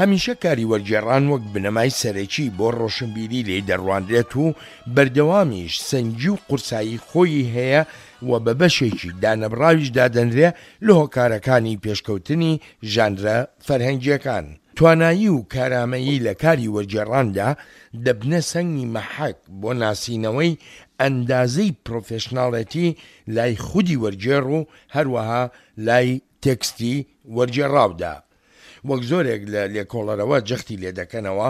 هەمیشە کاری وەرگێڕان وەک بنەمای سەرەکی بۆ ڕۆشنبیری لێی دەڕوانرێت و بەردەوامیش سەنگی و قورسایی خۆیی هەیە و بە بەشێکی دانەبڕاویش دادەنرێ لە هۆکارەکانی پێشکەوتنی ژانرە فەرهەنگییەکان. توانایی و کارامەیی لە کاری وەرگێڕاندا دەبنە سەنگی مەحەک بۆ ناسینەوەی ئەندازەی پرۆفێشناڵێتی لای خودی وەرگێڕ و هەروەها لای تێکستی وەرگێڕاودا. وەک زۆرێک لە لێکۆڵەرەوە جەختی لێدەکەنەوە،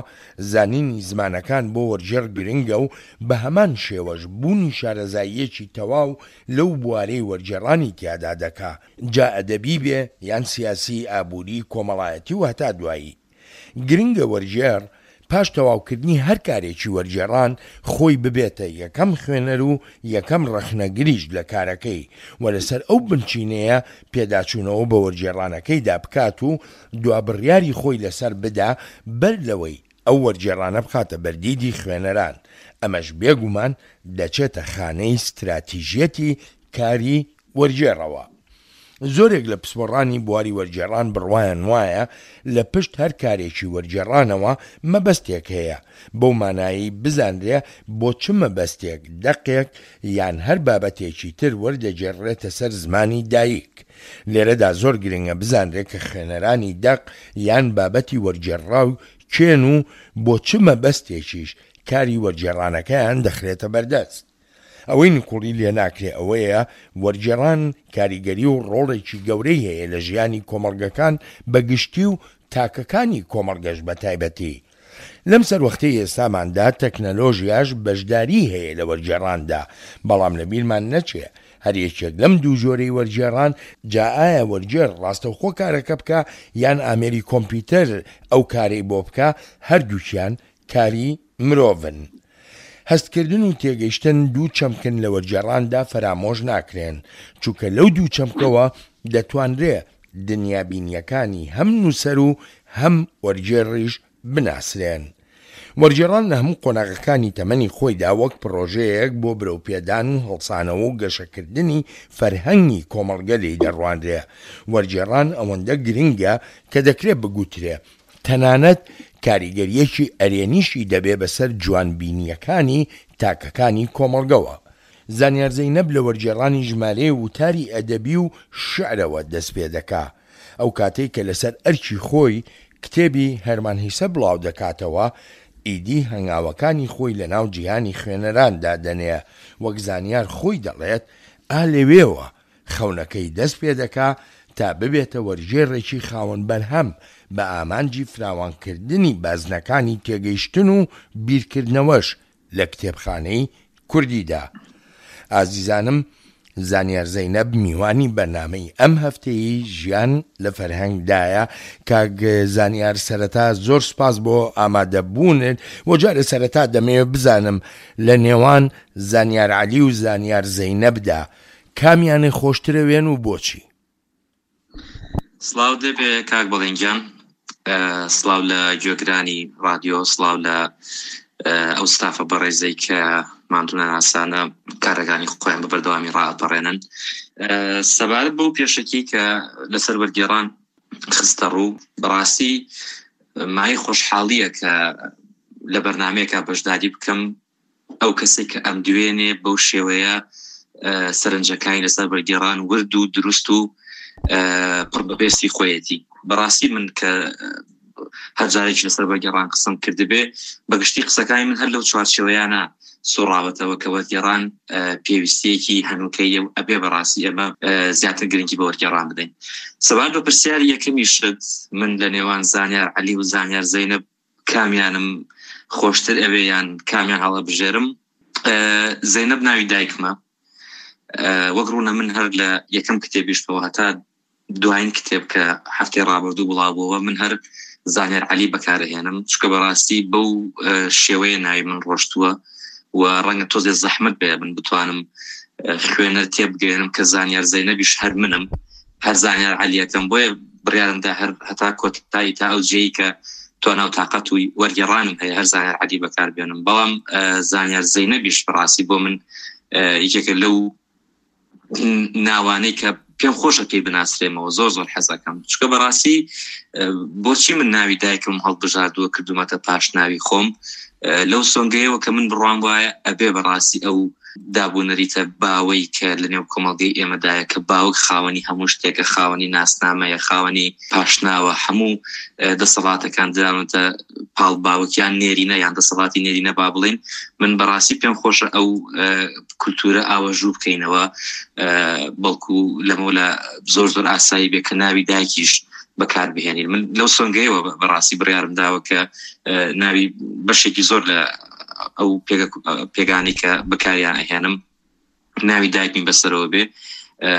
زانینی زمانەکان بۆ وەرگێڕ گرنگە و بە هەمان شێوەش بوونی شارەزاییەکی تەواو لەو بوارەی وەرگێڕانی تیادا دەکا، جا ئەدەبی بێ یان سیاسی، ئابووری، کۆمەڵایەتی و هەتا دوایی. گرنگە وەرگێڕ پاش تەواوکردنی هەر کارێکی وەرگێڕان خۆی ببێتە یەکەم خوێنەر و یەکەم ڕەخنەگریش لە کارەکەی و لەسەر ئەو بنچینەیە پێداچوونەوە بە وەرگێڕانەکەیدا بکات و دوا بڕیاری خۆی لەسەر بدا بەر لەوەی ئەو وەرگێڕانە بخاتە بەردیدی خوێنەران، ئەمەش بێگومان دەچێتە خانەی ستراتیژیەتی کاری وەرگێڕەوە. زۆرێک لە پسپۆڕانی بواری وەرگێڕان بڕوایان وایە لە پشت هەر کارێکی وەرگێڕانەوە مەبەستێک هەیە، بەو مانایەی بزانرێ بۆ چ مەبەستێک دەقێک یان هەر بابەتێکی تر وەردەگێڕرێتە سەر زمانی دایک. لێرەدا زۆر گرنگە بزانرێ کە خوێنەرانی دەق یان بابەتی وەرگێڕراو کێن و بۆ چ مەبەستێکیش کاری وەرگێڕانەکەیان دەخرێتە بەردەست. ئەوەی نکوڵی لێناکرێ ئەوەیە وەرگێڕان کاریگەری و ڕۆڵێکی گەورەی هەیە لە ژیانی کۆمەڵگەکان بە گشتی و تاکەکانی کۆمەڵگەش بە تایبەتی. لەم سەروەختەی ئێستاماندا تەکنەلۆژیاش بەشداریی هەیە لە وەرگێڕاندا، بەڵام لە بیرمان نەچێ هەر یەکێک لەم دوو جۆرەی وەرگێڕان جا ئایا وەرگێڕ ڕاستەوخۆ کارەکە بکا یان ئامێری کۆمپیوتەر ئەو کارەی بۆ بکا هەردووکیان کاری مرۆڤن. هەستکردن و تێگەیشتن دوو چەمکن لە وەرگێڕاندا فەرامۆش ناکرێن، چونکە لەو دوو چەمکەوە دەتوانرێ دنیابینییەکانی هەم نووسەر و هەم وەرگێڕیش بناسرێن. وەرگێڕان لە هەموو قۆناغەکانی تەمەنی خۆیدا وەک پڕۆژەیەک بۆ برەوپێدان و هەڵسانەوە و گەشەکردنی فەرهەنگی کۆمەڵگە لێی دەڕوانرێ. وەرگێڕان ئەوەندە گرنگە کە دەکرێ بگوترێ تەنانەت کاریگەرییەکی ئەرێنیشی دەبێ بەسەر جوانبینییەکانی تاکەکانی کۆمەڵگەوە. زانیار زەینەب لە وەرگێڕانی ژمارەیە وتاری ئەدەبی و شیعرەوە دەستپێدەکا. ئەو کاتەی کە لەسەر ئەرکی خۆی کتێبی هێرمان هیسە بڵاودەکاتەوە، ئیدی هەنگاوەکانی خۆی لەناو جیهانی خوێنەراندا دەنێ. وەک زانیار خۆی دەڵێت، ئا لەوێوە خەونەکەی دەست پێدەکا تا ببێتە وەرگێڕێکی خاوەن بەرهەم بە ئامانجی فراوانکردنی بازنەکانی تێگەیشتن و بیرکردنەوەش لە کتێبخانەی کوردیدا. ئازیزانم زانیار زەینەب میوانی بەرنامەی ئەم هەفتەیەی ژیان لە فەرهەنگ دایە. کاک زانیار سەرەتا زۆر سوپاس بۆ ئامادەبوونت و جارێ سەرەتا دەمەوێت بزانم لە نێوان زانیار عەلی و زانیار زەینەبدا کامیانێ خۆشترەوێن و بۆچی؟ سڵاوت لێبێ کاک بەڵێن گیان سڵاو لە گوێگرانی ڕادیۆ سڵاو لە ئەو ستافە بەڕێزەی کە ماندوونەناسانە کارەکانی خۆیان بە بەردەوامی ڕائەپەڕێنن سەبارەت بەو پێشەکی کە لەسەر وەرگێڕان خستە ڕوو بەڕاستی مای خۆشحاڵیە کە لە بەرنمەیەکە بەشداری بکەم ئەو کەسێک کە ئەم دوێنێ بەو شێوەیە سەرنجەکانی لەسەر بەرگێڕان ورد و دروست و پڕ بەبێستی خۆیەتی بەڕاستی من کە هەرجارێکی لەسەر بەگەڕان قسم کردبێ بەگشتی قسەکانی من هەر لەو چوارچێوەیانە سوڕاوەتەوە کە وەرگێڕان پێویستیەکی هەنوکەیە و ئەبێ بەڕاستی ئەمە زیاتر گرنگی بە وەرگێڕان بدەین سەبارەت بە پرسیاری یەکەمیشت من لە نێوان زانیار عەلی و زانیار زەینەب کامیانم خۆشتر ئەوێ یان کامیان هەڵەبژێرم زەینەب ناوی دایکمە وەک ڕوونە من هەر لە یەکەم کتێبیشتەوە هەتا دوایین کتێب کە هەفتەی ڕابردوو بڵاوبووەوە من هەر زانیار عەلی بەکارەهێنم چونکە بەڕاستی بەو شێوەیە ناوی من ڕۆشتووە و ڕەنگە تۆزێ زەحمت بێ من بتوانم خوێنەر تێبگەێنم کە زانیار زەینەبیش هەر منم هەر زانیار عەلیەکەم بۆیە بڕیارمدا هەر هەتا کۆتایی تا ئەو جێی کە توانا و تاقەت و وەرگێڕانم هەیە هەر زانیار عەلی بەکاربێنم بەڵام زانیار زەینەبیش بەڕاستی بۆ من یەکێکە لەو ناوانەی کە. پێم خۆشە پێی بناسرێمەوە زۆر زۆر حەزەکەم چکە بەڕاستی بۆچی من ناوی دایکم هەڵبژاردووە کردومەتە پاش ناوی خۆم لەو سۆنگەیەوە کە من بڕوام وایە ئەبێ بەڕاستی ئەو دابونەریتە باوەی کە لە نێو کۆمەڵگەی ئێمەدایە کە باوک خاوەنی هەموو شتێکە، خاوەنی ناسنامەیە، خاوەنی پاشناوە، هەموو دەسەڵاتەکان دراونەتە پاڵ باوک یان نێرینە یان دەسەڵاتی نێرینە با بڵێین. من بەڕاستی پێم خۆشە ئەو کولتوورە ئاوەژوو بکەینەوە، بەڵکو لەمەولا زۆر زۆر ئاسایی بێ کە ناوی دایکیش بەکار بهێنین. من لەو سۆنگەیەوە بەڕاستی بڕیارم داوە کە ناوی بەشێکی زۆر لە ئەو پێگانەی کە بەکاریان ئەهێنم ناوی دایکمی بەسەرەوە بێ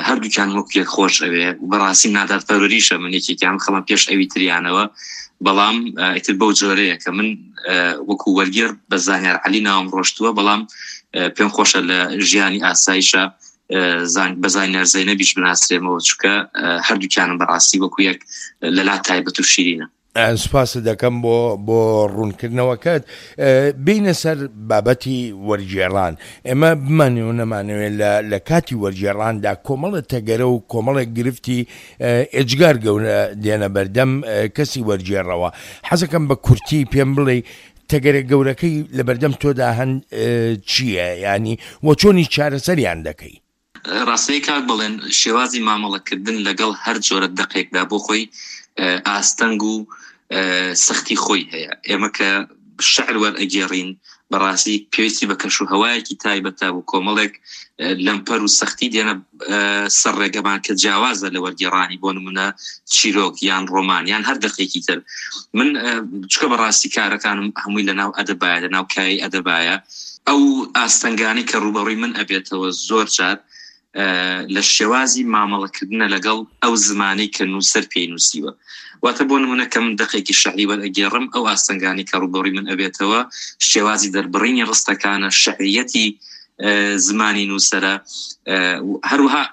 هەردووکیان وەک یەک خۆش ئەوێ بەڕاستی نادات پەروەریشە من یەکێکیان خەڵم پێش ئەوی تریانەوە بەڵام ئیتر بەو جۆرەیە کە من وەکو وەرگێر بە زانیار علی ناوم ڕۆشتووە بەڵام پێم خۆشە لە ژیانی ئاسایشە بە زانیار زەینەبیش بناسرێمەوە چونکە هەردووکیانم بەڕاستی وەکو یەک لەلا تایبەت و شیرینە. سوپاست دەکەم بۆ بۆ ڕوونکردنەوەکەت. بێینە سەر بابەتی وەرگێڕان. ئێمە بمانەوێ و نەمانەوێ لە لە کاتی وەرگێڕاندا کۆمەڵێ تەگەرە و کۆمەڵێک گرفتی ئێجگار گەورە دێنە بەردەم کەسی وەرگێڕەوە. حەزەکەم بە کورتی پێم بڵێی تەگەرە گەورەکەی لە بەردەم تۆدا هەن چییە یانی و چۆنیش چارەسەریان دەکەی؟ ڕاستەی کاک بەڵێن شێوازی مامەڵەکردن لەگەڵ هەر جۆرە دەقێکدا بۆ خۆی ئاستەنگ و سەختی خۆی هەیە ئێمە کە شعر وەرئەگێڕین بەڕاستی پێویستی بە کەش و هەوایەکی تایبەتە و کۆمەڵێک لەمپەر و سەختی دێنە سەر ڕێگەمان کە جیاوازە لە وەرگێڕانی بۆ نمونە چیرۆک یان ڕۆمان یان هەر دەقێکی تر من چکە بەڕاستی کارەکانم هەمووی لە ناو ئەدەبایە لە ناو کای ئەدەبایە ئەو ئاستەنگانەی کە ڕووبەڕووی من ئەبێتەوە زۆر جار لە شێوازی مامەڵەکردنە لەگەڵ ئەو زمانەی کە نووسەر پێی نووسیوە. واتە بۆ نموونە کە من دەقێکی شعری وەرئەگێڕم ئەو ئاستەنگانەی کە ڕووبەڕووی من ئەبێتەوە شێوازی دەربڕینی ڕستەکانە، شعریەتی زمانی نووسەرە، هەروەها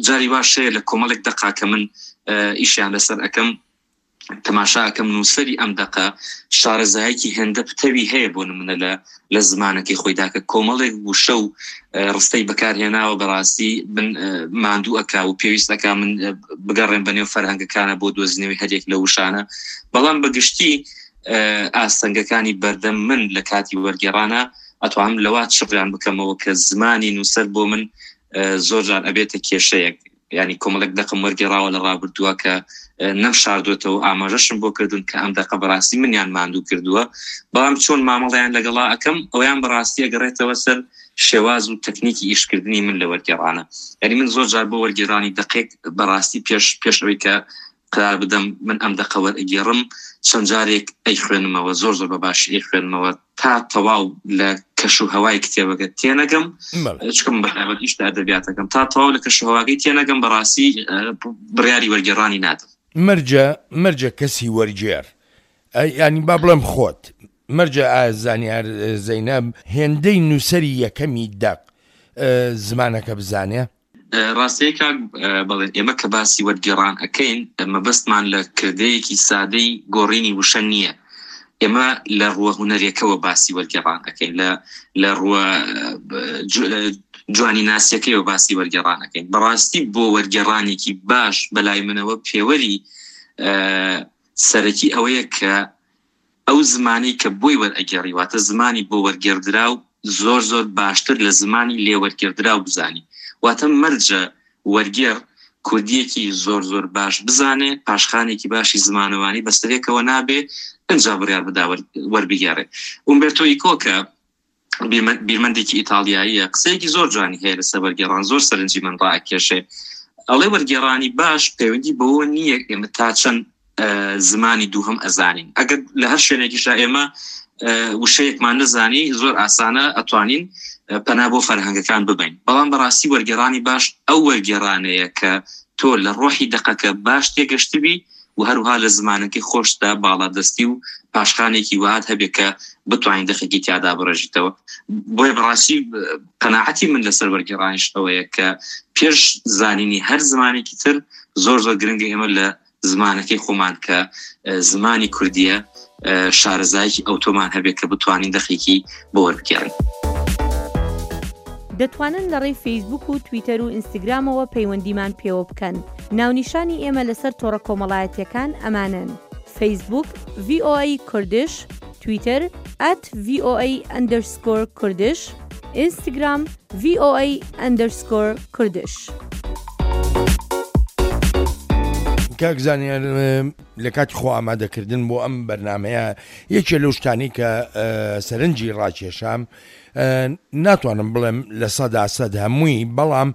جاری واش هەیە لە کۆمەڵێک دەقا کە من ئیشیان لەسەر ئەکەم تەماشا ئەکەم نووسەری ئەم دەقە شارەزایەکی هێندە پتەوی هەیە بۆ نمونە لە لە زمانەکەی خۆیدا کە کۆمەڵێک وشە و ڕستەی بەکارهێناوە بەڕاستی من ماندوو ئەکا و پێویست ئەکا من بگەڕێم بە نێو فەرهەنگەکانە بۆ دۆزینەوەی هەریەک لە وشانە بەڵام بەگشتی ئاستەنگەکانی بەردەم من لە کاتی وەرگێڕانە ئەتوانم لەوە چڕیان بکەمەوە کە زمانی نووسەر بۆ من زۆر جار ئەبێتە کێشەیەک یانی کۆمەڵێک دەقم وەرگێڕاوە لە ڕابردووە کە نەم شاردوێتەوە ئاماژەشم بۆ کردوون کە ئەم دەقە بەڕاستی منیان ماندوو کردووە بەڵام چۆن مامەڵیان لەگەڵا ئەەکەم ئەویان بەڕاستی ئەگەڕێتەوە سەر شێواز و تەکنیکی ئیشکردنی من لە وەرگێڕانە یعنی من زۆر جار بۆ وەرگێرانی دەقێک بەڕاستی پێش پێش ئەوەی کە قرار بدەم من ئەم دەقە وەرئەگێڕم چەند جارێک ئەیخوێنمەوە زۆر زۆر بە باشی ئەیخوێنمەوە تا تەواو لە کەش و هەوای کتێبەکە تێنەگەم چکم بەتایبەت ئیش لە ئەدەبیاتەکەم تا تەواو لە کەش و هەواکەی تێنەگەم بەڕاستی بڕیاری وەرگێڕانی نادەم. مەرجە مەرجە کەسی وەرگێڕ یانی با بڵێم خۆت مەرجە ئایا زانیار زەینەب هێندەی نووسەری یەکەمی دەق زمانەکە بزانێ؟ ڕاستەیە کاک بەڵێن ئێمە کە باسی وەرگێڕان ئەکەین مەبەستمان لە کردەیەکی سادەی گۆڕینی وشە نییە ئێمە لە ڕووە هونەریەکەوە باسی وەرگێڕان ئەکەین لە لە ڕووە جوانی ناسیەکەیەوە باسی وەرگێڕان ئەکەین بەڕاستی بۆ وەرگێڕانێکی باش بەلای منەوە پێوەری سەرەکی ئەوەیە کە ئەو زمانەی کە بۆی وەرئەگێڕی واتە زمانی بۆ وەرگێڕدراو زۆر زۆر باشتر لە زمانی لێ وەرگێڕدراو بزانی واتە مەرجە وەرگێڕ کوردییەکی زۆر زۆر باش بزانێ پاشخانێکی باشی زمانەوانی بەسەرێکەوە نابێ ئنجا بڕیار بدا وەربگێڕێ ئومبێرتۆ ئیکۆ کە بیرمەندێکی ئیتاڵیاییە قسەیەکی زۆر جوانی هەیە لەسەر وەرگێڕان زۆر سەرنجی من ڕاکێشێ ئەڵێ وەرگێڕانی باش پەیوەندی بەوە نییە ئێمە تا چەند زمانی دووهەم ئەزانین ئەگەر لە هەر شوێنێکیشا ئێمە وشەیەکمان نەزانی زۆر ئاسانە ئەتوانین پەنا بۆ فەرهەنگەکان ببین بەڵام بەڕاستی وەرگێڕانی باش ئەو وەرگێڕانەیە کە تۆ لە ڕۆحی دەقەکە باش تێگەشتبی و هەروها لە زمانەکەی خۆشتدا باڵادەستی و پاشخانێکی وەهات هەبێ کە بتوانین دەقێکی تیادا بڕێژیتەوە بۆیە بەڕاستی قەناعەتی من لەسەر وەرگێڕانیش ئەوەیە کە پێش زانینی هەر زمانێکی تر زۆر زۆر گرنگە ئێمە لە زمانەکەی خۆمان کە زمانی کوردیە شارەزایەکی ئەوتۆمان هەبێت کە بتوانین دەقێکی بۆ وەربگێڕین. دەتوانن لە ڕێی فەیسبووک و تویتەر و ئینستگرامەوە پەیوەندیمان پێوە بکەن. ناونیشانی ئێمە لەسەر تۆڕە کۆمەڵایەتییەکان ئەمانەن، فەیسبووک، VOA Kurdish، تویتەر، at VOA underscore Kurdish، ئینستگرام، VOA underscore Kurdish. کاک زانیار لە کاتی خۆ ئامادەکردن بۆ ئەم بەرنامەیە یەکێ لەو شتانەی کە سەرنجی ڕاکێشام ناتوانم بڵێم 100% هەمووی بەڵام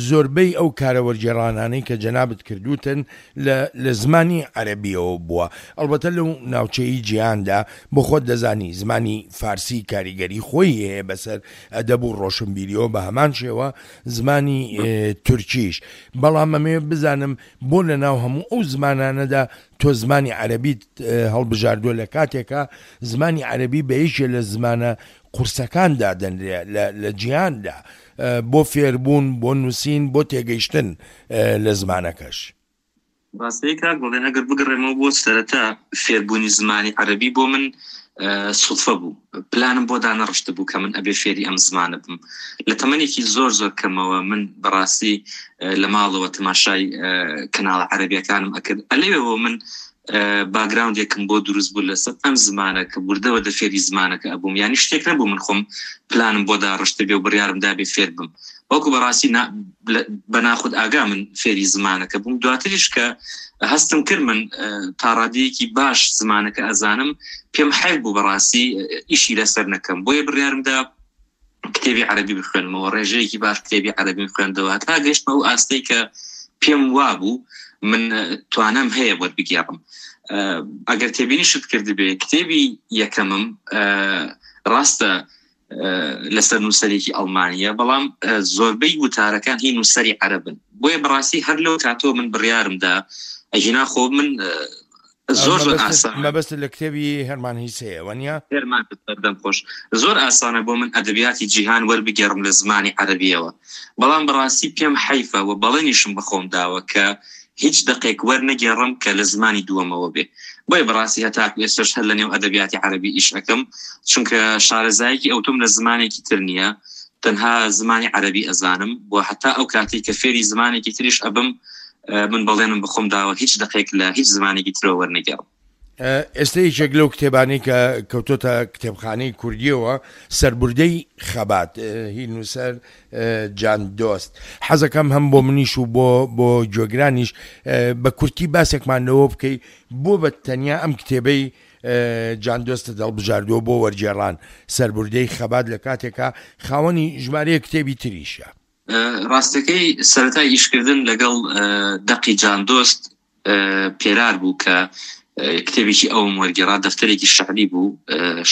زۆربەی ئەو کارە وەرگێڕانانەی کە جەنابت کردووتن لە لە زمانی عەرەبییەوە بووە، ئەڵبەتە لەو ناوچەی جیهاندا بۆ خۆت دەزانی زمانی فارسی کاریگەری خۆی هەیە بەسەر ئەدەب و ڕۆشنبیریەوە بە هەمان شێوە زمانی تورکیش، بەڵام ئەمەوێ بزانم بۆ لە ناو هەموو ئەو زمانانەدا تۆ زمانی عەرەبیت هەڵبژاردووە لە کاتێکا زمانی عەرەبی بە یەکێ لە زمانە قورسەکان دادەنرێ لە لە جیهاندا بۆ فێربوون، بۆ نووسین، بۆ تێگەیشتن لە زمانەکەش. ڕاستەی کاک بەڵێن ئەگەر بگەڕێمەوە بۆ سەرەتا فێربوونی زمانی عەرەبی بۆ من سوتفە بوو پلانم بۆ دانەڕشت بوو کە من ئەبێ فێری ئەم زمانە بم لە تەمەنێکی زۆر زۆر کەمەوە من بەڕاستی لە ماڵەوە تەماشای کەناڵە عەرەبیەکانم ئەکرد ئەلەوێەوە من باگراوندێکم بۆ دروست بوو لەسەر ئەم زمانە کە وردە وردە فێری زمانەکە ئەبووم یانی شتێک نەبوو من خۆم پلانم بۆ داڕشتبێ و بڕیارم دابێ فێر بم بەڵکو بەڕاستی بە ناخود ئاگا من فێری زمانەکە بووم دواتریش کە هەستم کرد من تاڕادەیەکی باش زمانەکە ئەزانم پێم حەیف بوو بەڕاستی ئیشی لەسەر نەکەم بۆیە بڕیارمدا کتێبی عەرەبی بخوێنمەوە ڕێژەیەکی باش کتێبی عەرەبیم خوێندەوە تا گەشتمە ئەو ئاستەی کە پێم وابوو من توانام هەیە وەربگێڕم ئەگەر تێبینیشت کردبێ کتێبی یەکەمم ڕاستە لەسەر نووسەرێکی ئەڵمانیە بەڵام زۆربەی وتارەکان هی نووسەری عەرەبن بۆیە بەڕاستی هەر لەو کاتەوە من بڕیارمدا ئەگینا خۆ من زۆر زۆر ئاسانە. مەبەستت لە کتێبی هێرمان هیسەیە وەنیە؟ هێرمان دەم خۆش. زۆر ئاسانە بۆ من ئەدەبیاتی جیهان وەربگێڕم لە زمانی عەرەبییەوە، بەڵام بەڕاستی پێم حەیفە و بەڵێنیشم بە خۆم داوە کە هیچ دەقێک وەرنەگێڕم کە لە زمانی دووەمەوە بێ. بۆیە بەڕاستی هەتاکو ئێستەش هەر لە نێو ئەدەبیاتی عەرەبی ئیش ئەکەم، چونکە شارەزایەکی ئەوتۆم لە زمانێکی تر نییە، تەنها زمانی عەرەبی ئەزانم و هەتا ئەو کاتەی کە فێری زمانێکی تریش ئەبم من بەڵێنم بەخۆم داوە هیچ دەقێک لە هیچ زمانێکی ترەوە وەرنەگێڕم. ئێستا یەکێک لەو کتێبانەی کە کەوتۆتە کتێبخانەی کوردییەوە سەربوردەی خەبات هی نووسەر جان دۆست. حەزەکەم هەم بۆ منیش و بۆ بۆ گوێگرانیش بە کورتی باسێکمان لەوە بکەی بۆ بە تەنیا ئەم کتێبەی جان دۆستت هەڵبژاردووە بۆ وەرگێڕان سەربوردەی خەبات لە کاتێکا خاوەنی ژمارەیەک کتێبی تریشە. ڕاستەکەی سەرەتای ئیشکردن لەگەڵ دەقی جاندۆست پێرار بوو کە کتێبێکی ئەوم وەرگێڕا دەفتەرێکی شعری بوو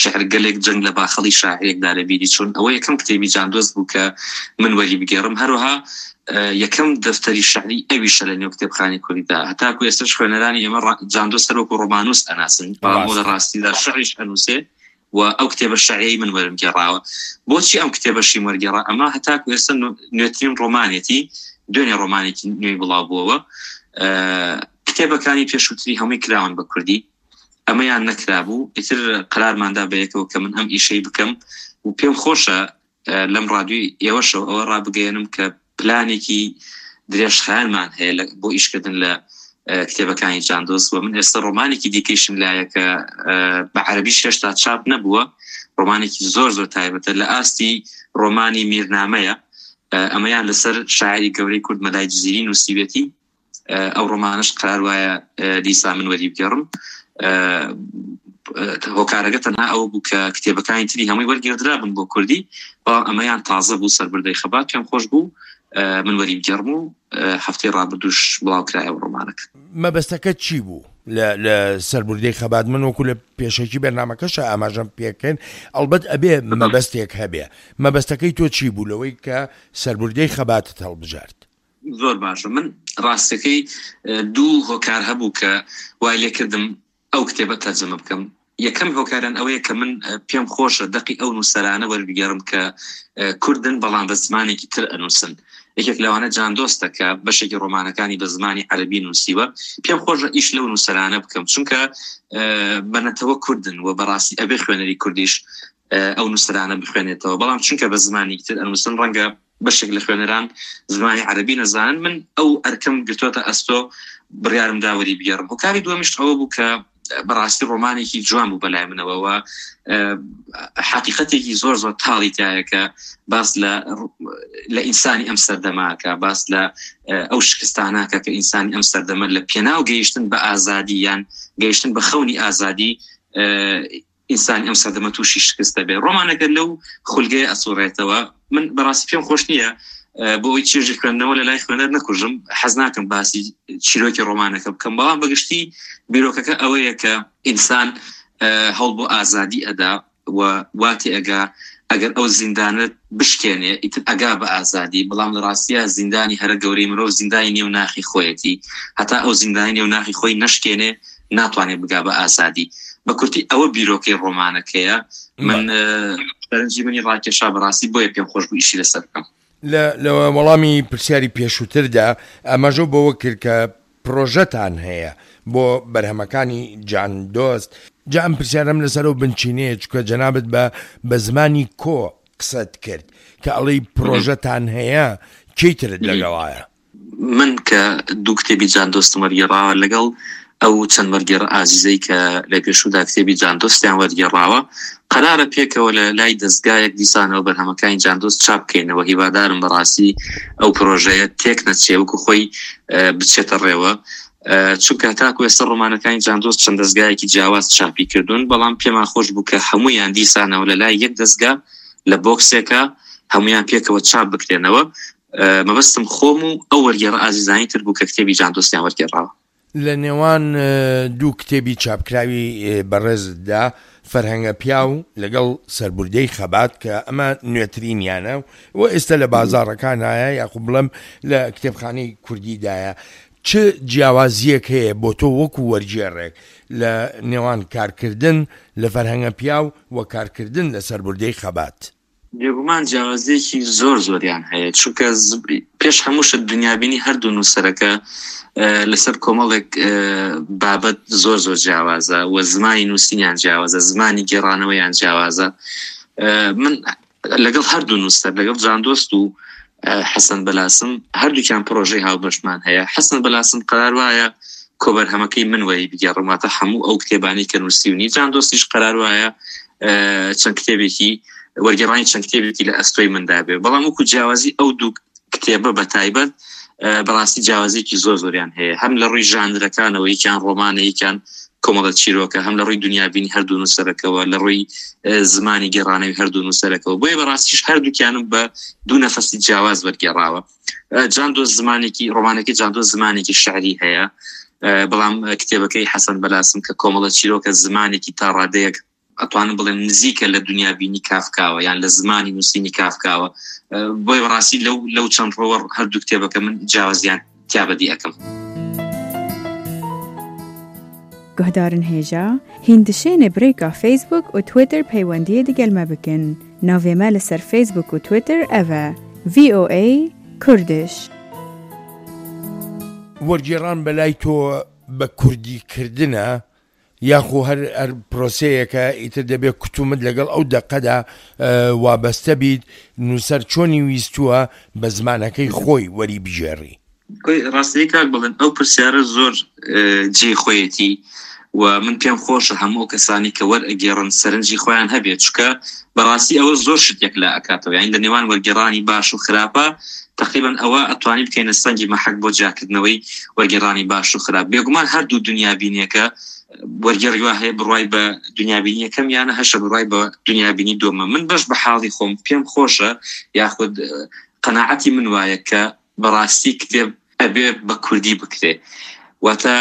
شعر گەلێک جەنگ لە باخەڵی شاعرێکدا لە بیری چون ئەوە یەکەم کتێبی جاندۆست بوو کە من وەری بگێڕم هەروەها یەکەم دەفتەری شعری ئەویشە لە نێو کتێبخانی کوردیدا هەتاکو ئێستش خوێنەرانی ئێمە جاندۆست هەروەکو ڕۆمانوس ئەناسن بەڵام لە ڕاستیدا شعریش ئەنووسێ و ئەو کتێبە شعریەی من وەرم گێڕاوە. بۆچی ئەم کتێبەشیم وەرگێڕا؟ ئەمە هەتاکو ئێستا نوێترین ڕۆمانێتی، دوێنێ ڕۆمانێکی نوێی بڵاو بووەوە. کتێبەکانی پێشووتری هەمووی کراون بە کوردی، ئەمەیان نەکرابوو. ئیتر قەرارماندا بەیەکەوە کە من ئەم ئیشەی بکەم و پێم خۆشە لەم ڕادیۆی ئێوەشەوە ئەوە ڕابگەیەنم کە پلانێکی درێژخایەنمان هەیە بۆ ئیشکردن لە کتێبەکانی جاندۆس و من ئێستا ڕۆمانێکی دیکەیشم لایە کە بە عەربی هێشتا چاپ نەبووە ڕۆمانێکی زۆر زۆر تایبەتە لە ئاستی ڕۆمانی میرنامەیە ئەمەیان لەسەر شاعری گەورەی کورد مەلای جزیری نووسیوێتی ئەو ڕۆمانەش قرار وایە دیسا من وەری بگێڕم هۆکارەکە تەنها ئەوە بوو کە کتێبەکانی تری هەمووی وەرگێڕدرا بن بۆ کوردی بەڵام ئەمەیان تازە بوو سەربردەی خەبات پێم خۆش بوو من وەری بگێڕم و هەفتەی ڕابردووش بڵاو کرایەوە ڕۆمانەکە. مەبەستەکەت چی بوو لە لە سەربردەی خەبات من وەکو لە پێشەکی بەرنامەکەشا ئاماژەم پێکرد ئەڵبەت ئەبێ مەبەستێک هەبێ مەبەستەکەی تۆ چی بوو لەوەی کە سەربردەی خەباتت هەڵبژارد؟ زۆر باشە من ڕاستەکەی دوو هۆکار هەبوو کە وای لێکردم ئەو کتێبە تەرجەمە بکەم یەکەم هۆکاران ئەوەیە کە من پێم خۆشە دەقی ئەو نووسەرانە وەربگێڕم کە کوردن بەڵام بە زمانێکی تر ئەنووسن یەکێک لەوانە جاندۆستە کە بەشێکی ڕۆمانەکانی بە زمانی عەربی نووسیوە پێم خۆشە ئیش لەو نووسەرانە بکەم چونکە بەنەتەوە کوردن و بەڕاستی ئەبێ خوێنەری کوردیش. ئەو نووسەرانە بخوێنێتەوە بەڵام چونکە بە زمانی تر ئەنووسن ڕەنگە بەشێک لە خوێنەران زمانی عەربی نەزانن من ئەو ئەرکەم گرتووەتە ئەستۆ بڕیارم دا وەری بگێڕم هۆکاری دووەمیش ئەوە بوو کە بەڕاستی ڕۆمانێکی جوان بوو بەلای منەوەوە حقیقەتێکی زۆر زۆر تاڵی تایە کە باس لە لە ئینسانی ئەم سەردەماکە باس لە ئەو شکستاناکە کە ئینسانی ئەم سەردەمە لە پێناو گەیشتن بە ئازادی یان گەیشتن بە خەونی ئازادی ئینسانی ئەم سەردەمە تووشی شکست دەبێت ڕۆمانەکە لەو خولگەیە ئەسوڕێتەوە من بەڕاستی پێم خۆش نییە بۆ ئەوی چێژی خوێندنەوە لە لای خوێنەر نەکوژم حەز ناکەم باسی چیرۆکی ڕۆمانەکە بکەم بەڵام بەگشتی بیرۆکەکە ئەوەیە کە ئینسان هەوڵ بۆ ئازادی ئەدا و واتی ئەگا ئەگەر ئەو زیندانە بشکێنێ ئیتر ئەگا بە ئازادی بەڵام لە ڕاستیا زیندانی هەرە گەورەی مرۆڤ زیندانی نێو ناخی خۆیەتی هەتا ئەو زیندانی نێو ناخی خۆی نەشکێنێ ناتوانێت بگا بە ئازادی بە کورتی ئەوە بیرۆکەی ڕۆمانەکەیە من سەرنجی منی ڕاکێشا بەڕاستی بۆیە پێم خۆش بوو ئیشی لەسەر بکەم. لە وەڵامی پرسیاری پێشووتردا ئاماژەو بەوە کرد کە پرۆژەتان هەیە بۆ بەرهەمەکانی جان دۆست، جا ئەم پرسیارەم لەسەر ئەو بنچینەیە چونکە جەنابت بە بە زمانی کۆ قسەت کرد کە ئەڵێی پرۆژەتان هەیە کێی ترت لەگەڵایە؟ من کە دوو کتێبی جان دۆستم وەرگێڕاوە لەگەڵ ئەو چەند وەرگێڕە ئازیزەی کە لە پێشوودا کتێبی جان دۆستیان وەرگێڕاوە قەرارە پێکەوە لە لای دەزگایەک دیسانەوە بەرهەمەکانی جان دۆست چاپ بکەینەوە هیوادارم بەڕاستی ئەو پرۆژەیە تێک نەچێ وەکو خۆی بچێتە ڕێوە چونکە تاکو ئێستا ڕۆمانەکانی جان دۆست چەند دەزگایەکی جیاواز چاپی کردوون بەڵام پێمان خۆش بوو کە هەمویان دیسانەوە لە لای یەک دەزگا لە بۆکسێکە هەمویان پێکەوە چاپ بکرێنەوە مەبەستم خۆم و ئەو وەرگێڕە ئازیزانی تر بوو کە کتێبی جان دۆستیان وەرگێڕاوە. لە نێوان دوو کتێبی چاپکراوی بەڕێزتدا، فەرهەنگە پیاو لەگەڵ سەربوردەی خەبات کە ئەمە نوێترینیانە و ئێستا لە بازاڕەکانایە یاخود بڵێم لە کتێبخانەی کوردیدایە، چ جیاوازییەک هەیە بۆ تۆ وەکو وەرگێڕێک لە نێوان کارکردن لە فەرهەنگە پیاو و کارکردن لە سەربوردەی خەبات؟ بێگومان جیاوازیەکی زۆر زۆریان هەیە چونکە پێش هەموو شت دنیابینی هەردوو نووسەرەکە لەسەر کۆمەڵێک بابەت زۆر زۆر جیاوازە و زمانی نووسینیان جیاوازە زمانی گێڕانەوەیان جیاوازە من لەگەڵ هەردوو نووسەر لەگەڵ جاندۆست و حەسەن بەلاسم هەردووکیان پرۆژەی هاوبەشمان هەیە حەسەن بەلاسم قەرار وایە کۆبەرهەمەکەی من وەری بگێڕم واتە هەموو ئەو کتێبانی کە نووسیونی جان دۆستیش قەرار وایە چەند کتێبێکی وەرگێڕانی چەند کتێبێکی لە ئەستۆی مندا بێ بەڵام وەکو جیاوازی ئەو دوو کتێبە بە تایبەت بەڕاستی جیاوازێکی زۆر زۆریان هەیە هەم لە ڕووی ژانرەکانەوە یەکیان ڕۆمانە یەکیان کۆمەڵە چیرۆکە هەم لە ڕووی دنیابینی هەردوو نووسەرەکەوە لە ڕووی زمانی گێڕانەوەی هەردوو نووسەرەکەەوە بۆیە بەڕاستیش هەردووکیانم بە دوو نەفەسی جیاواز وەرگێڕاوە جاندۆ زمانێکی ڕۆمانەکەی جاندۆ زمانێکی شعری هەیە بەڵام کتێبەکەی حەسەن بەلاسم کە کۆمەڵە چیرۆکە زمانێکی تا ڕادەیەک ئەتوانم بڵێم نزیکە لە دنیابینی کافکاوە یان لە زمانی نووسینی کافکاوە بۆی بەڕاستی لەو لەو چەند ڕۆوە هەردوو کتێبەکە من جیاوازیان تیا بەدی ئەەکەم. Guhdarên hêja, hîn dişêne bi rêka Facebook û Twitter peywendiyê digel me bikin. Navê me li ser Facebook û Twitter ev e, VOA Kurdish. وەرگێڕان بەلای تۆ بە کوردی کردنە یاخۆ هەر هەر پرۆسەیەکە ئیتر دەبێ کتومت لەگەڵ ئەو دەقەدا وابەستە بیت نووسەر چۆنی ویستووە بە زمانەکەی خۆی وەری بگێڕی؟ ڕاستی کاک بڵێن ئەو پرسیارە زۆر جێی خۆیەتی و من پێم خۆشە هەموو ئەو کەسانی کە وەرئەگێڕن سەرنجی خۆیان هەبێت چونکە بەڕاستی ئەوە زۆر شت یەکلا ئەکاتەوە یانی لە نێوان وەرگێڕانی باش و خراپە تقریبا ئەوە ئەتوانی بکەینە سەنگی مەحەک بۆ جیاکردنەوەی وەرگێڕانی باش و خراپ بێگومان هەردوو دنیابینیەکە وەرگێڕی وا هەیە بڕوای بە دنیابینی یەکەم یانە هەشە بڕوای بە دنیابینی دووەمە من بەش بە حاڵی خۆم پێم خۆشە یاخود قەناعەتی من وایە کە بەڕاستی کتێب ئەبێ بە کوردی بکرێ واتە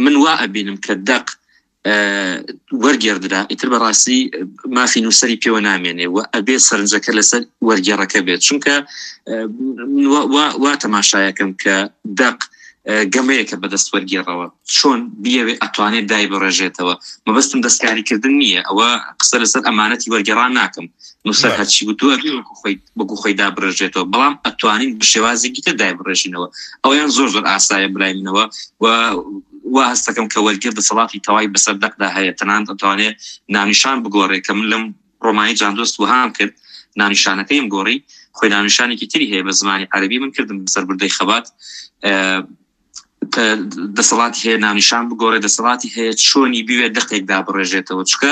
من وا ئەبینم کە دەق وەرگێڕدرا ئیتر بەڕاستی مافی نووسری پێوە نامێنێ و ئەبێ سەرنجەکە لەسەر وەرگێڕەکە بێت چونکە وا تەماشایەکەم کە دەق گەمەیەکە بەدەست وەرگێڕەوە چۆن بیەوێ ئەتوانێت دای بڕێژێتەوە مەبەستم دەستکاریکردن نییە ئەوە قسە لەسەر ئەمانەتی وەرگێڕان ناکەم نووسەر هەرچی وتووە وەکو خۆی وەکو خۆی دابڕێژێتەوە بەڵام ئەتوانین بە شێوازێکی تر دایبڕێژینەوە ئەویان زۆر زۆر ئاسایە بلای منەوە و وا هەستەکەم کە وەرگێر دەسەڵاتی تەوای بەسەر دەقدا هەیە تەنانەت ئەتوانێ ناونیشان بگۆڕێ کە من لەم ڕۆمانی جاندۆست وەهام کرد، ناونیشانەکەیم گۆڕی، خۆی ناونیشانێکی تری هەیە بە زمانی عەرەبی، من کردم بە سەربردەی خەبات. دەسەڵاتی هەیە ناونیشان بگۆڕێ، دەسەڵاتی هەیە چۆنی بوێ دەقێک دابڕێژێتەوە، چونکە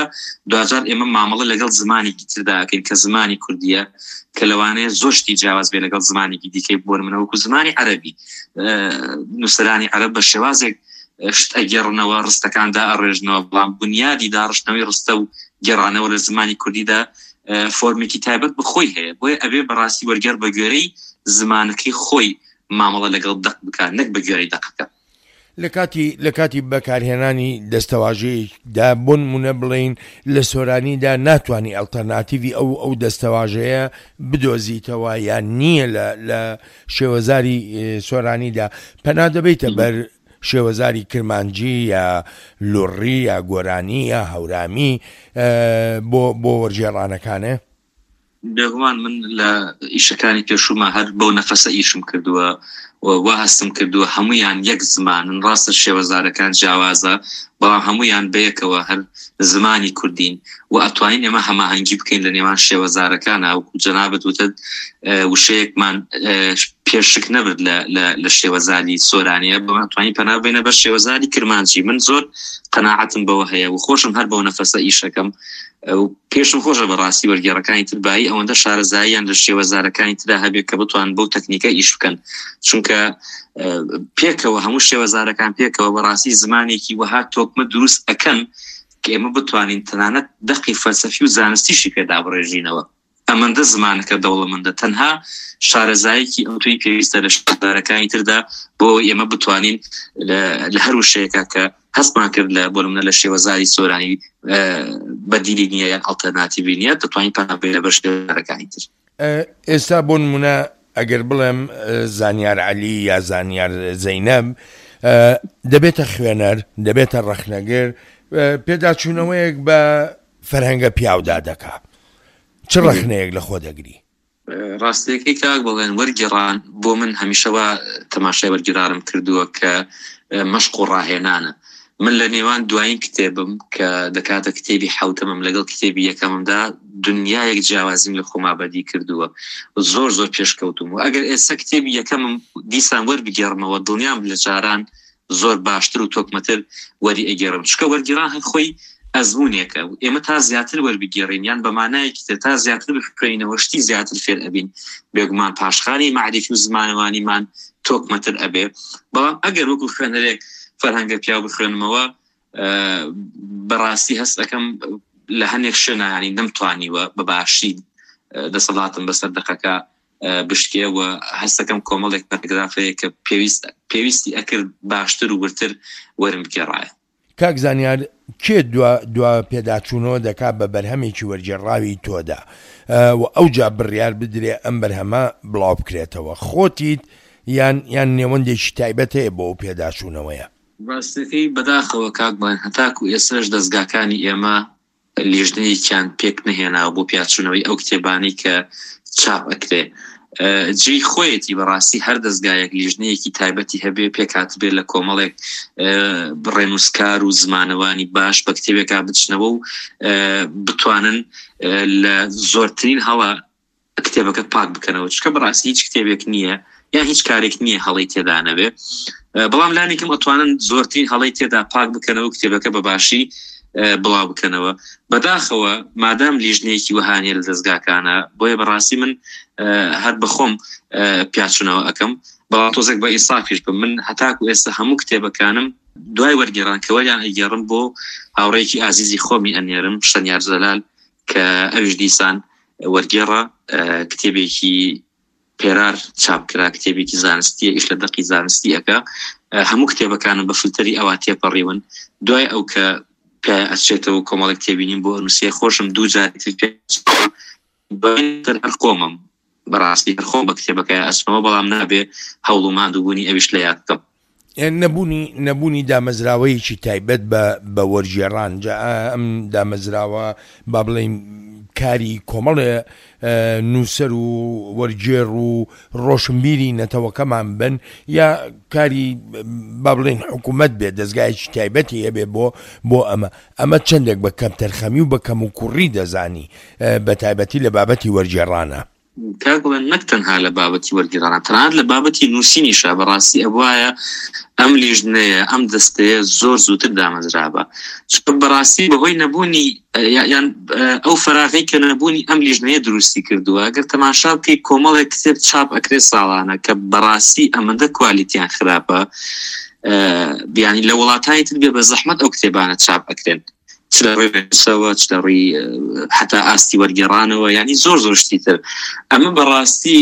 دواجار ئێمە مامەڵە لەگەڵ زمانێکی تردا ئەکەین کە زمانی کوردیە، کە لەوانەیە زۆر شتی جیاواز بێ لەگەڵ زمانێکی دیکەی، بۆ نمونە وەکو زمانی عەرەبی، نووسەرانی عەرەب بە شێوازێک شت ئەگێڕنەوە، ڕستەکان دائەڕێژنەوە، بەڵام بونیادی داڕشتنەوەی ڕستە و گێڕانەوە لە زمانی کوردیدا فۆرمێکی تایبەت بە خۆی هەیە. بۆیە ئەبێ بەڕاستی وەرگێڕ بە گوێرەی زمانەکەی خۆی مامەڵە لەگەڵ دەق بکات نەک بە گوێرەی دەقەکە. لە کاتی لە کاتی بەکارهێنانی دەستەواژەیەکدا بۆ نموونە بڵێین لە سۆرانیدا ناتوانی ئەڵتەرناتیڤی ئەو ئەو دەستەواژەیە بدۆزیتەوە یان نییە لە لە شێوەزاری سۆرانیدا پەنا دەبەیتە بەر شێوەزاری کرمانجی یا لوڕی یا گۆرانی یا هەورامی بۆ بۆ وەرگێڕانەکانێ؟ بێگومان من لە ئیشەکانی پێشووما هەر بەو نەفەسە ئیشم کردووە و وا هەستم کردووە هەمویان یەک زمانن، ڕاستە شێوەزارەکان جیاوازە بەڵام هەمویان بەیەکەوە هەر زمانی کوردین و ئەتوانین ئێمە هەماهەنگی بکەین لە نێوان شێوەزارەکانە. وەکو جەنابت وتت وشەیەکمان پێشک نەبرد لە شێوەزاری سۆرانیە، بەڵام ئەتوانین پەنا ببەینە بەر شێوەزاری کرمانجی. من زۆر قەناعەتم بەوە هەیە و خۆشم هەر بەو نەفەسە ئیشەکەم و پێشم خۆشە بەڕاستی وەرگێڕەکانی تر بایی ئەوەندە شارەزاییان لە شێوەزارەکانی ترا هەبێت کە بتوان بەو تەکنیکە ئیش بکەن، چونکە پێکەوە هەموو شێوەزارەکان پێکەوە بەڕاستی زمانێکی وەها تۆکمە دروست ئەکەن کە ئێمە بتوانین تەنانەت دەقی فەلسەفی و زانستیشی پێ دابڕێژینەوە. ئەمەندە زمانەکە دەوڵەمەندە، تەنها شارەزایەکی ئەوتۆی پێویستە لە شێوەزارەکانی تردا بۆ ئەوەی ئێمە بتوانین لە هەر وشەیەکا کە هەستمان کرد لە بۆ نمونە لە شێوەزاری سۆرانی بەدیلی نییە یان ئەڵتەرناتیڤی نییە، دەتوانین پەنا بەرینە بەر شێوەزارەکانی تر. ئێستا بۆ نمونە ئەگەر بڵێم زانیار عەلی یا زانیار زەینەب دەبێتە خوێنەر، دەبێتە ڕەخنەگر، پێداچوونەوەیەک بە فەرهەنگە پیاودا دەکا، چ ڕەخنەیەک لە خۆ دەگری؟ ڕاستیەکەی کاک بەڵێن وەرگێڕان بۆ من هەمیشە وا تەماشای وەرگێڕانم کردووە کە مەشق و ڕاهێنانە. من لە نێوان دوایین کتێبم کە دەکاتە کتێبی حەوتەمم لەگەڵ کتێبی یەکەممدا دنیایەک جیاوازیم لە خۆما بەدی کردووە، زۆر زۆر پێشکەوتوم و ئەگەر ئێستا کتێبی یەکەمم دیسان وەربگێڕمەوە دڵنیام لە جاران زۆر باشتر و تۆکمەتر وەری ئەگێڕم، چونکە وەرگێڕان هەر خۆی ئەزموونێکە و ئێمە تا زیاتر وەربگێڕین یان بە مانایەکی تر تا زیاتر بخوێنینەوە شتی زیاتر فێر ئەبین، بێگومان پاشخانی مەعریفی و زمانەوانیمان تۆکمەتر ئەبێ. بەڵام ئەگەر وەکو خوێنەرێک فەرهەنگە پیاو بخوێنمەوە بەڕاستی هەست ئەکەم لە هەنێک شوێنا یانی نەمتوانیوە بە باشی دەسەڵاتم بەسەر دەقەکە بشکێ و هەستەکەم کۆمەڵێک پەرگراف هەیە کە پێویست پێویستی ئەکرد باشتر و وردتر وەرم بگێڕایە. کاک زانیار کێ دوا دوا پێداچوونەوە دەکا بە بەرهەمێکی وەرگێڕراوی تۆدا و ئەوجا بڕیار بدرێ ئەم بەرهەمە بڵاو بکرێتەوە؟ خۆتیت یان یان نێوەندێکی تایبەت هەیە بۆ ئەو پێداچوونەوەیە؟ ڕاستەکەی بەداخەوە کاک بڵێن هەتاکو ئێستاش دەزگاکانی ئێمە لیژنەیەکیان پێک نەهێناوە بۆ پیاچوونەوەی ئەو کتێبانەی کە چاپ ئەکرێ. جێی خۆیەتی بەڕاستی هەر دەزگایەک لیژنەیەکی تایبەتی هەبێ پێکهاتبێ لە کۆمەڵێک ڕێنووسکار و زمانەوانی باش بە کتێبێکا بچنەوە و بتوانن لە زۆرترین هەڵە کتێبەکە پاک بکەنەوە، چونکە بەڕاستی هیچ کتێبێک نییە یان هیچ کارێک نییە هەڵەی تێدا نەبێ، بەڵام لانیکەم ئەتوانن زۆرترین هەڵەی تێدا پاک بکەنەوە کتێبەکە بە باشی بڵاو بکەنەوە. بەداخەوە مادام لیژنەیەکی وەها نییە لە دەزگاکانە، بۆیە بەڕاستی من هەر بەخۆم پیاچوونەوە ئەکەم، بەڵام تۆزێک بە ئینسافیش بم، من هەتاکو ئێستا هەموو کتێبەکانم دوای وەرگێڕان کە وەریان ئەگێڕم بۆ هاوڕێیەکی ئازیزی خۆمی ئەنێرم، شەنیار جەلال، کە ئەویش دیسان وەرگێڕە، کتێبێکی پێرار چاپ کرا، کتێبێکی زانستیە، ئیش لە دەقی زانستی ئەکا، هەموو کتێبەکانم بە فلتەری ئەوا تێپەڕیون، دوای ئەو کە پێ ئەچێتەوە کۆمەڵێک تێبینیم بۆ ئەنووسێ، خۆشم دوو جاری تر پێ ئەچێتەوە، دوای تر هەر خۆمم بەڕاستی هەر خۆم بە کتێبەکەی ئەچمەوە، بەڵام نابێ هەوڵ و ماندووبوونی ئەویش لە یاد بکەم. نەبوونی نەبوونی دامەزراوەیەکی تایبەت بە بە وەرگێڕان، جا ئەم دامەزراوە با بڵێین. کاری کۆمەڵێ نووسەر و وەرگێڕ و ڕۆشنبیری نەتەوەکەمان بن یا کاری با بڵێین حکوومەت بێت دەزگایەکی تایبەتی هەبێ بۆ بۆ ئەمە ئەمە چەندێک بە کەمتەرخەمی و بە کەموکوڕی دەزانی بە تایبەتی لە بابەتی وەرگێڕانە؟ کاک بڵێن نەک تەنها لە بابەتی وەرگێڕانە تەنانەت لە بابەتی نووسینیشا بەڕاستی ئەبوایە ئەم لیژنەیە ئەم دەستەیە زۆر زووتر دامەزرابا چونکە بەڕاستی بەهۆی نەبوونی یان ئەو فەراغەی کە نەبوونی ئەم لیژنەیە دروستی کردووە گەر تەماشا بکەی کۆمەڵێک کتێب چاپ ئەکرێ ساڵانە کە بەڕاستی ئەمەندە کوالیتیان خراپە بیانی لە وڵاتانی تر بێ بە زەحمەت ئەو کتێبانە چاپ ئەکرێن چ لە ڕووی ڕێنووسەوە چ لە ڕووی حتا ئاستی وەرگێڕانەوە ینی زۆر زۆر شتی تر ئەمە بەڕاستی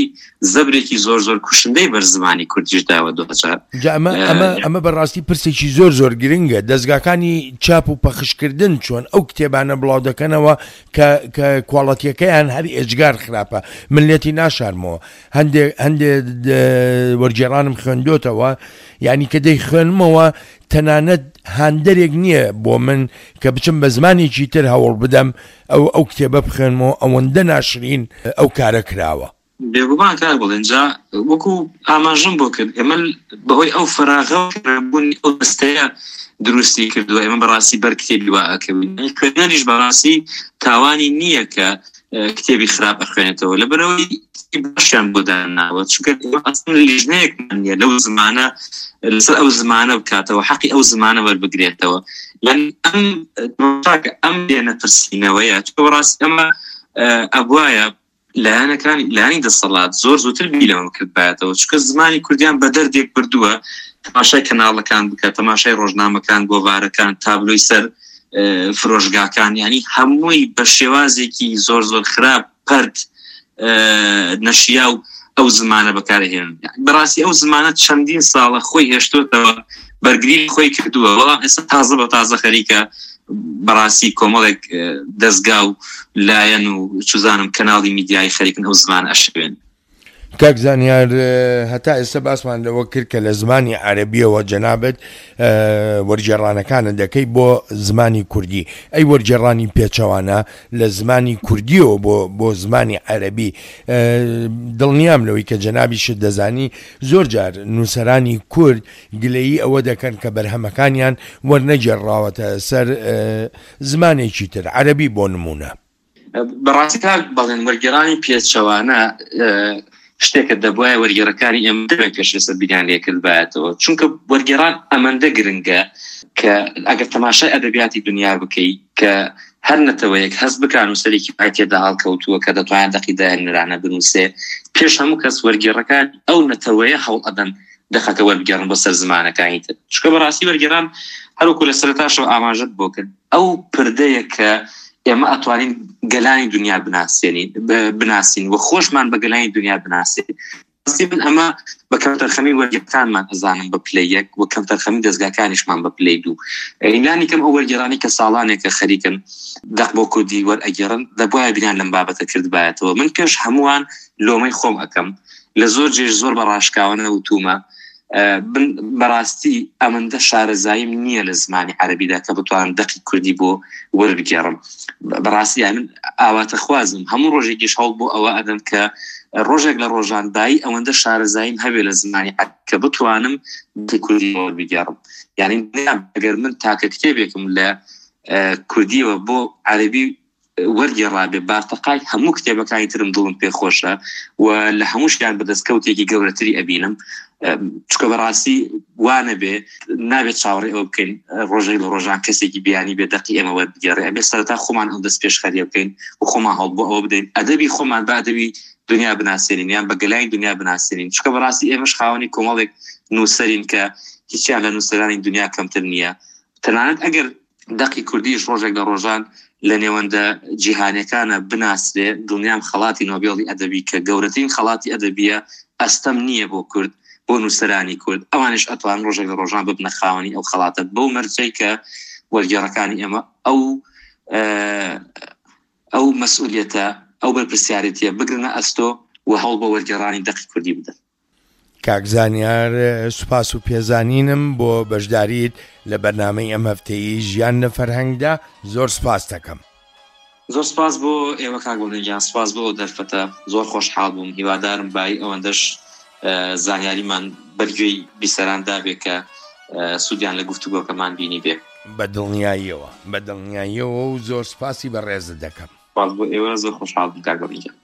زەبرێکی زۆر زۆر کوشندەی بەر زمانی کوردیش داوە دوجار. جا ئەمە ئەمە ئەمە بەڕاستی پرسێکی زۆر زۆر گرنگە دەزگاکانی چاپ و پەخشکردن چۆن ئەو کتێبانە بڵاو دەکەنەوە کە کە کواڵەتیەکەیان هەر ئێجگار خراپە من لێتی ناشارمەوە هەندێ هەندێ وەرگێڕانم خوێندۆتەوە یعنی کە دەیخوێنمەوە تەنانەت هاندەرێک نییە بۆ من کە بچم بە زمانێکی تر هەوڵ بدەم ئەو ئەو کتێبە بخوێنمەوە ئەوەندە ناشرین ئەو کارە کراوە. بێگومان کاک بەڵێن جا وەکو ئاماژەم بۆ کرد ئێمە بەهۆی ئەو فەراغە و نەبوونی ئەو دەستەیە دروستی کردووە ئێمە بەڕاستی بەر کتێبی وا ئەکەوین خوێنەریش بەڕاستی تاوانی نییە کە کتێبی خراپ ئەخوێنێتەوە لەبەرەوەی باشیان بۆ داناوە چونکە ئەسڵەن لیژنەیەکمان نییە لەو زمانە لەسەر ئەو زمانە بکاتەوە حەقی ئەو زمانە وەربگرێتەوە یان ئەم ئەم لێنەپرسینەوەیە چونکە بەڕاستی ئەمە ئەبوایە لایەنەکانی لایەنی دەسەڵات زۆر زووتر بیر لەمە بکردبایەتەوە چونکە زمانی کوردیان بە دەردێک بردووە تەماشای کەناڵەکان بکە تەماشای ڕۆژنامەکان گۆڤارەکان تابلۆی سەر فرۆشگاکان ینی هەمووی بە شێوازێکی زۆر زۆر خراپ پەرت نەشیا و ئەو زمانە بەکارهێن بەڕاستی ئەو زمانە چەندین ساڵە خۆی هێشتوتەوە بەرگری خۆی کردووە بەڵام ئێستا تازە بە تازە خەریکە بەڕاستی کۆمەڵێک دەستگا و لایەن و چزانم کەناڵی میدیایی خەریکن ئەو زمان ئەشێوێن. کاک زانیار هەتا ئێستا باسمان لەوە کرد کە لە زمانی عەرەبیەوە جەنابت وەرگێڕانەکانت دەکەی بۆ زمانی کوردی ئەی وەرگێڕانی پێچەوانە لە زمانی کوردیەوە بۆ بۆ زمانی عەرەبی دڵنیام لەوەی کە جەنابیشت دەزانی زۆر جار نووسەرانی کورد گلەیی ئەوە دەکەن کە بەرهەمەکانیان وەرنەگێڕراوەتە سەر زمانێکی تر، عەرەبی بۆ نموونە. بەڕاستی کاک بەڵێن وەرگێڕانی پێچەوانە شتێکە دەبوایە وەرگێڕەکانی ئێمە دەمێک پێش ئێستا بیریان لێ کردبایەتەوە، چونکە وەرگێڕان ئەمەندە گرنگە کە ئەگەر تەماشای ئەدەبیاتی دنیا بکەی کە هەر نەتەوەیەک هەست بکا نووسەرێکی وای تێدا هەڵکەوتووە کە دەتوانێت دەقی داهێنەرانە بنووسێ، پێش هەموو کەس وەرگێڕەکانی ئەو نەتەوەیە هەوڵ ئەدەن دەقەکە وەربگێڕن بۆ سەر زمانەکانی تر چونکە بەڕاستی وەرگێڕان هەروەکو لە سەرەتاشەوە ئاماژەت بۆ کرد ئەو پردەیە کە ئێمە ئەتوانین گەلانی دنیا بناسێنین بناسین و خۆشمان بە گەلانی دنیا بناسێن ڕاستی من ئەمە بە کەمتەرخەمی وەرگێڕانمان ئەزانم بە پلەی یەک و کەمتەرخەمی دەزگاکانیشمان بە پلەی دوو لانی کەم ئەو وەرگێڕانی کە ساڵانێکە خەریکن دەق بۆ کوردی وەرئەگێڕن دەبوایە بیریان لەم بابەتە کردبایەتەوە من پێش هەمووان لۆمەی خۆم ئەکەم لە زۆر جێش زۆر بە ڕاشکاوانە وتومە بن بەڕاستی ئەمەندە شارەزاییم نییە لە زمانی عەربیدا کە بتوانم دەقی کوردی بۆ وەربگێڕم بەڕاستی من ئاواتەخوازم هەموو ڕۆژێکیش هەوڵ بۆ ئەوە ئەدەم کە ڕۆژێک لە ڕۆژان بایی ئەوەندە شارەزاییم هەبێ لە زمانی کە بتوانم دەقی کوردی وەربگێڕم یعنی ئەگەر من تاکە کتێبێکم لە کوردیەوە بۆ عەربی وەرگێڕابێ بارتەقای هەموو کتێبەکانی ترم دڵم پێ خۆشە و لە هەمووشیان بە دەستکەوتێکی گەورەتری ئەبینم چکە بەڕاستی وانەبێ نابێت چاوەڕێ ئەوە بکەین ڕۆژێک لە ڕۆژان کەسێکی بیانی بێ دەقی ئێمە وەربگێڕێ ئەبێ سەرەتا خۆمان ئەو دەست پێشخەریە بکەین و خۆمان هەوڵ بۆ ئەوە بدەین ئەدەبی خۆمان بە ئەدەبی دنیا بناسێنین یان بە گەلانی دنیا بناسێنین چکە بەڕاستی ئێمەش خاوەنی کۆمەڵێک نووسەرین کە هیچیان لە نووسەرانی دنیا کەمتر نییە تەنانەت ئەگەر دەقی کوردیش ڕۆژێک لە ڕۆژان لە نێوەندە جیهانیەکانە بناسرێ، دڵنیام خەڵاتی نۆبێڵی ئەدەبی کە گەورەترین خەڵاتی ئەدەبیە ئەستەم نییە بۆ کورد، بۆ نووسەرانی کورد، ئەوانیش ئەتوانن ڕۆژێک لە ڕۆژان ببنە خاوەنی ئەو خەڵاتە بەو مەرجەی کە وەرگێڕەکانی ئێمە ئەو ئەو مەسئولیەتە، ئەو بەرپرسیارێتیە بگرنە ئەستۆ و هەوڵ بۆ وەرگێڕانی دەقی کوردی بدەن. کاک زانیار سوپاس و پێزانینم بۆ بەشداریت لە بەرنامەی ئەم هەفتەیی ژیان لە فەرهەنگدا زۆر سوپاست دەکەم. زۆر سپاس بۆ ئێوە کاک بەڵێن گیان، سپاس بۆ ئەو دەرفەتە، زۆر خۆشحاڵ بووم، هیوادارم بایی ئەوەندەش زانیاریمان بەر گوێی بیسەران دابێ کە سوودیان لە گفتوگۆکەمان بینیبێ. بە دڵنیاییەوە، بە دڵنیاییەوە و زۆر سپاسی بەڕێزت دەکەم. سپاس بۆ ئێوە، زۆر خۆشحاڵ بووم کاک بەڵێن گیان.